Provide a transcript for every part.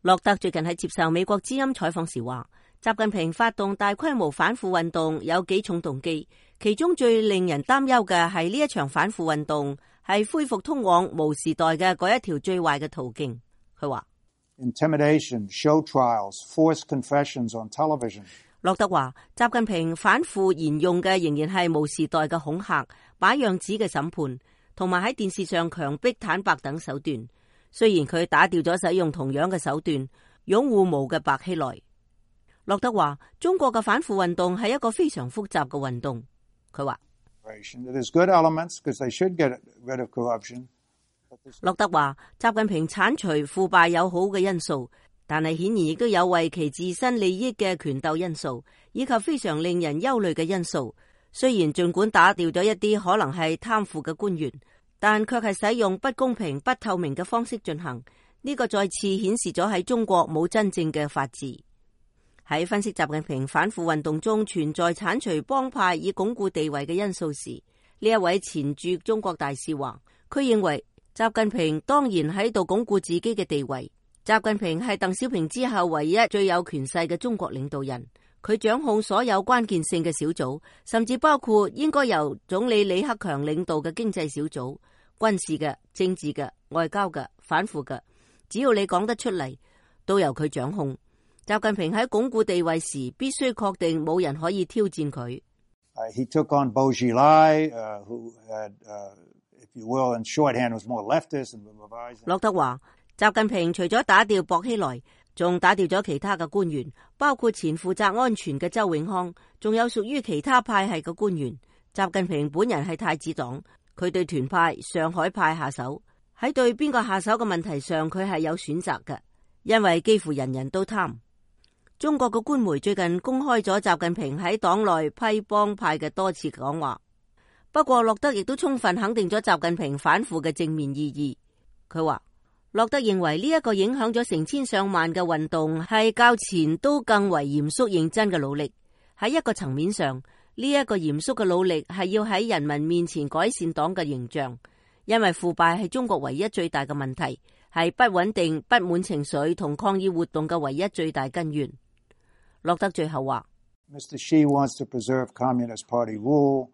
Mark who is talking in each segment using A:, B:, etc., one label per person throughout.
A: 洛特最近喺接受美國之音採訪時話，習近平發動大規模反腐運動有幾重動機，其中最令人擔憂嘅係呢一場反腐運動係恢復通往毛時代嘅嗰一條最壞嘅途徑。佢話
B: Intimidation, show trials, forced confessions on television.
A: 洛特話，習近平反腐沿用嘅仍然係毛時代嘅恐嚇、擺樣子嘅審判，同埋喺電視上強迫坦白等手段。雖然佢打掉咗使用同樣嘅手段，擁護毛嘅白希萊。洛特話，中國嘅反腐運動係一個非常複雜嘅運動。佢話，洛特話，習近平鏟除腐敗有好嘅因素，但係顯然亦都有為其自身利益嘅權鬥因素，以及非常令人憂慮嘅因素。雖然盡管打掉咗一啲可能係貪腐嘅官員，但卻係使用不公平、不透明嘅方式進行。呢個再次顯示咗喺中國冇真正嘅法治。喺分析習近平反腐運動中存在鏟除幫派以鞏固地位嘅因素時，呢一位前駐中國大使話，佢認為習近平當然喺度鞏固自己嘅地位。習近平係鄧小平之後唯一最有權勢嘅中國領導人，佢掌控所有關鍵性嘅小組，甚至包括應該由總理李克強領導嘅經濟小組、軍事嘅、政治嘅、外交嘅、反腐嘅，只要你講得出嚟，都由佢掌控。習近平喺鞏固地位時，必須確定冇人可以挑戰佢。
B: He took on Bo Xilai, who had, if you will, in shorthand, was more leftist and revised.
A: 洛特話，習近平除咗打掉薄熙來，仲打掉咗其他嘅官員，包括前負責安全嘅周永康，仲有屬於其他派系嘅官員。習近平本人係太子黨，佢對團派、上海派下手。喺對邊個下手嘅問題上，佢係有選擇嘅，因為幾乎人人都貪。中國嘅官媒最近公開咗習近平喺黨內批幫派嘅多次講話。不過洛特亦都充分肯定咗習近平反腐嘅正面意義。佢話，洛特認為呢一個影響咗成千上萬嘅運動係較前都更為嚴肅認真嘅努力。喺一個層面上，呢一個嚴肅嘅努力係要喺人民面前改善黨嘅形象，因為腐敗係中國唯一最大嘅問題，係不穩定、不滿情緒同抗議活動嘅唯一最大根源。洛特最後話，
B: Mr. Xi wants to preserve Communist Party rule.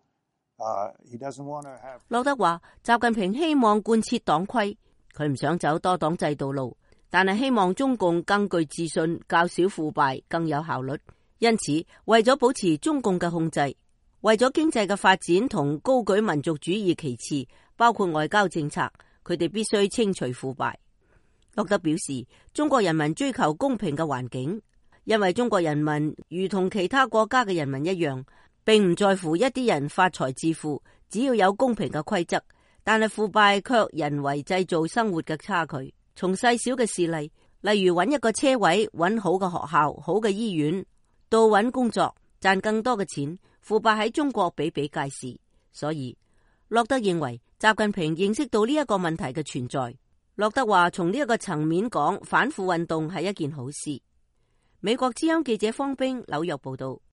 B: He doesn't want to have.
A: 洛特話，習近平希望貫徹黨規，佢唔想走多黨制度路，但係希望中共更具自信、較少腐敗、更有效率。因此，為咗保持中共嘅控制，為咗經濟嘅發展同高舉民族主義旗幟，包括外交政策，佢哋必須清除腐敗。洛特表示，中國人民追求公平嘅環境。因為中國人民如同其他國家嘅人民一樣，並唔在乎一啲人發財致富，只要有公平嘅規則。但係腐敗卻人為製造生活嘅差距。從細小嘅事例，例如揾一個車位、揾好嘅學校、好嘅醫院，到揾工作、賺更多嘅錢，腐敗喺中國比比皆是。所以，洛特認為習近平認識到呢一個問題嘅存在。洛特話，從呢一個層面講，反腐運動係一件好事。美國之音記者方冰紐約報道。